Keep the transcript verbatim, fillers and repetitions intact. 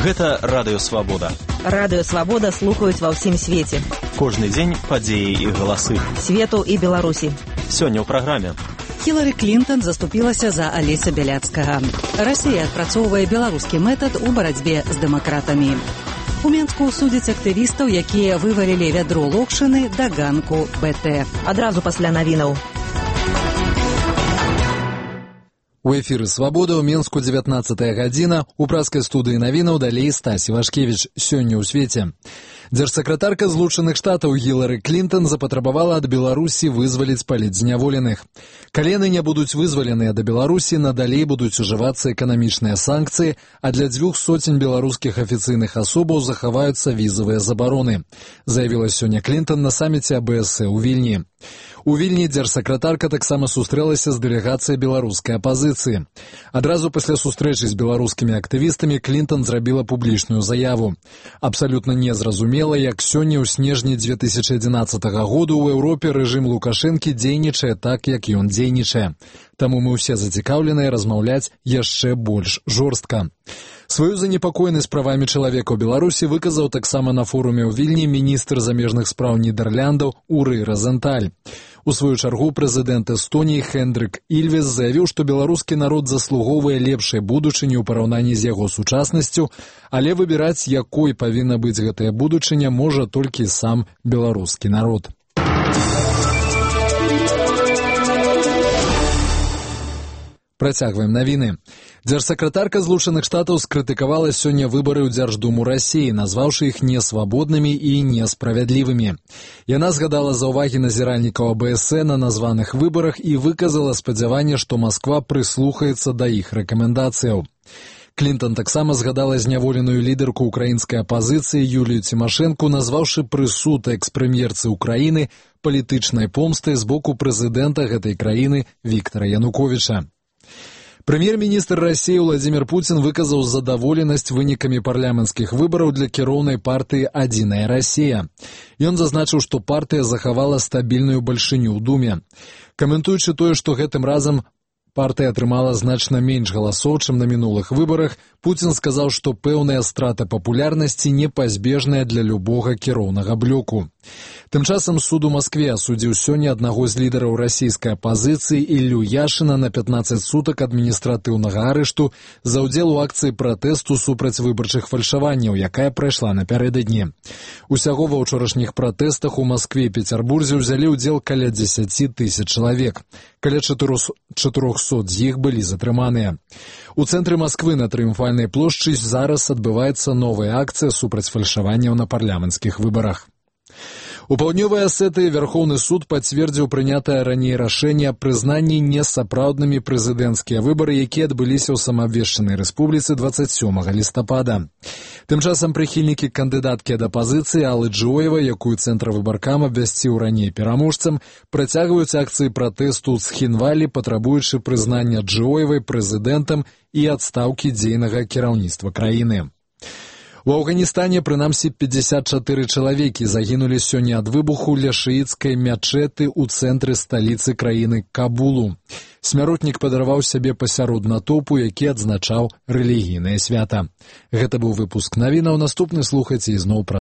Гэта Радыё Свабода. Радыё Свабода слухаюць ва ўсім свеце. Кожны дзень падзеі і галасы. Свету і Беларусі. Сёння ў праграме. Хілары Клінтон заступілася за Алеся Бяляцкага. Расія адпрацоўвае беларускі метад у барацьбе з дэмакратамі. У Менску судзяць актывістаў, якія вывалілі вядро локшыны да ганку БТ. Адразу пасля навінаў. У эфіры «Свабода» ў Менску дзевятнаццатая гадзіна. У праскай студыі навінаў далей Стась Івашкевіч. Сёння ў свеце. Дзяржсакратарка Злучаных Штатаў Хілары Клінтон запатрабавала ад Беларусі вызваліць палітзняволеных. Калі яны не будуць вызваленыя да Беларусі, надалей будуць ужывацца эканамічныя санкцыі, а для дзвюх соцень беларускіх афіцыйных асобаў захаваюцца візавыя забароны, заявіла сёння Клінтон на саміце АБС ў Вільні. У Вільні дзяржсакратарка таксама сустрэлася з дэлегацыяй беларускай апазіцыі. Адразу пасля сустрэчы з беларускімі актывістамі Клінтон зрабіла публічную заяву. Абсалютна незразумела, як сёння ў снежні дзве тысячы адзінаццатага году ў Еўропе рэжым Лукашэнкі дзейнічае так, як ён дзейнічае. Таму мы ўсе зацікаўленыя размаўляць яшчэ больш жорстка. Сваю занепакоенасць правамі чалавека ў Беларусі выказаў таксама на форуме ў Вільні міністр замежных спраў Нідэрляндаў Уры Розенталь. У сваю чаргу прэзідэнт Эстоніі Хендрик Ільвес заявіў, што беларускі народ заслугоўвае лепшай будучыні ў параўнанні з яго сучаснасцю, але выбіраць, якой павінна быць гэтая будучыня, можа толькі сам беларускі народ. Працягваем навіны. Дзяржсакратарка Злучаных Штатаў скрытыкавала сёння выбары ў Дзярждуму Расіі, назваўшы іх несвабоднымі і несправядлівымі. Яна згадала заўвагі назіральнікаў АБС на названых выбарах і выказала спадзяванне, што Масква прыслухаецца да іх рэкамендацыяў. Клінтон таксама згадала зняволеную лідарку украінскай апазіцыі Юлію Цімашэнку, назваўшы прысуд экс-прэм'ерцы ўкраіны палітычнай помстай з боку прэзідэнта гэтай краіны Віктара Януковіча. Прэм'ер-міністр Расіі Владзімір Пуцін выказаў задаволенасць вынікамі парламенцкіх выбараў для кіроўнай партыі «Адзіная Расія». Ён зазначыў, што партыя захавала стабільную бальшыню ў Думе. Каментуючы тое, што гэтым разам партыя атрымала значна менш галасоў, чым на мінулых выбарах, Пуцін сказаў, што пэўная страта папулярнасці непазбежная для любога кіроўнага блоку. Тым часам суд у Маскве асудзіў сёння аднаго з лідараў расійскай апазіцыі Іллю Яшына на пятнаццаць сутак адміністратыўнага арышту за ўдзел у акцыі пратэсту супраць выбарчых фальшаванняў, якая прайшла напярэдадні. Усяго ва ўчорашніх пратэстах у Маскве і Пецярбурзе ўзялі ўдзел каля дзесяці тысяч чалавек. Каля чатырохсот з іх былі затрыманыя. У цэнтры Масквы на Трыумфальнай плошчы зараз адбываецца новая акцыя супраць фальшаванняў на парламенцкіх выбарах. У паўднёвай Асетыі Вярхоўны суд пацвердзіў прынятае раней рашэнне аб прызнанні несапраўднымі прэзідэнцкія выбары, якія адбыліся ў самаабвешчанай рэспубліцы дваццаць сёмага лістапада. Тым часам прыхільнікі кандыдаткі ад апазіцыі Аллы Джоева, якую цэнтравы баркам абвясціў раней пераможцам, працягваюць акцыі пратэсту ў Цхінвалі, патрабуючы прызнання Джоевай прэзідэнтам і адстаўкі дзейнага кіраўніцтва краіны. У Афганістане, прынамсі, пятьдесят чатыры чалавекі загінулі сёння ад выбуху ля шыіцкай мячэты ў цэнтры сталіцы краіны Кабулу. Смяротнік падарваў сябе пасярод натоўпу, які адзначаў рэлігійнае свята. Гэта быў выпуск навінаў. Наступны слухайце ізноў пра